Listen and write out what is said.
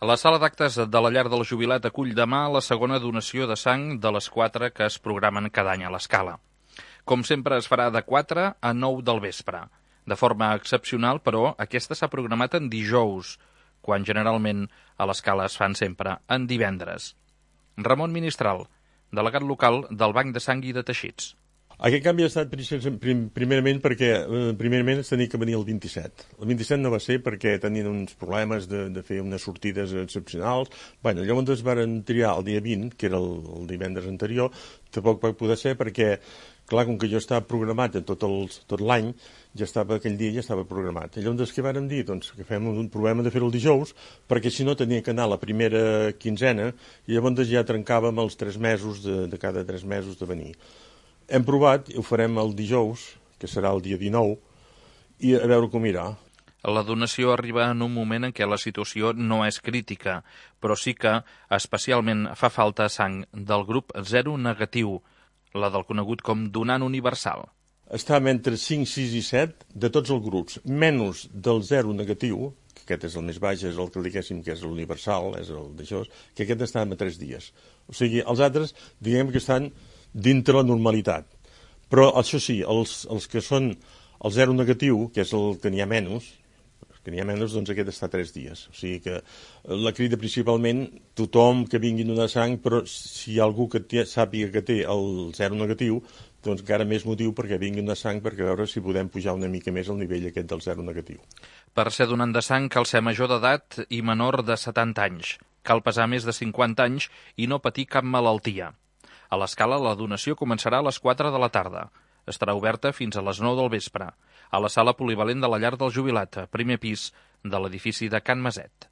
La sala d'actes de la Llar del Jubilat acull demà la segona donació de sang de les 4 que es programen cada any a l'Escala. Com sempre es farà de 4 a 9 del vespre. De forma excepcional, però, aquesta s'ha programat en dijous, quan generalment a l'Escala es fan sempre en divendres. Ramon Ministral, delegat local del Banc de Sang i de Teixits. Aquest canvi ha estat primerament perquè primerament es tenia que venir el 27. El 27 no va ser perquè tenien uns problemes de fer unes sortides excepcionals. Llavors es van triar el dia 20, que era el divendres anterior. Tampoc va poder ser perquè, clar, com que jo estava programat tot l'any, aquell dia ja estava programat. Llavors què vàrem dir? Doncs que fem un problema de fer-ho el dijous, perquè si no tenia que anar la primera quinzena i llavors ja trencàvem els 3 mesos de cada 3 mesos de venir. Hem provat i ho farem el dijous, que serà el dia 19, i a veure com irà. La donació arriba en un moment en què la situació no és crítica, però sí que especialment fa falta sang del grup 0 negatiu, la del conegut com donant universal. Estàvem entre 5, 6 i 7 de tots els grups, menys del 0 negatiu, que aquest és el més baix, és el que diguéssim que és l'universal, és el d'això, que aquest estàvem a 3 dies. O sigui, els altres, diguem que estan dintre la normalitat. Però, això sí, els que són el 0 negatiu, que és el que n'hi ha menys, doncs aquest està 3 dies. O sigui que la crida principalment, tothom que vingui a donar sang, però si hi ha algú que sàpiga que té el 0 negatiu, doncs encara més motiu perquè vingui a donar sang, perquè veure si podem pujar una mica més el nivell aquest del 0 negatiu. Per ser donant de sang cal ser major d'edat i menor de 70 anys. Cal pesar més de 50 anys i no patir cap malaltia. A l'Escala la donació començarà a les 4 de la tarda. Estarà oberta fins a les 9 del vespre, a la sala polivalent de la Llar del Jubilat, primer pis de l'edifici de Can Maset.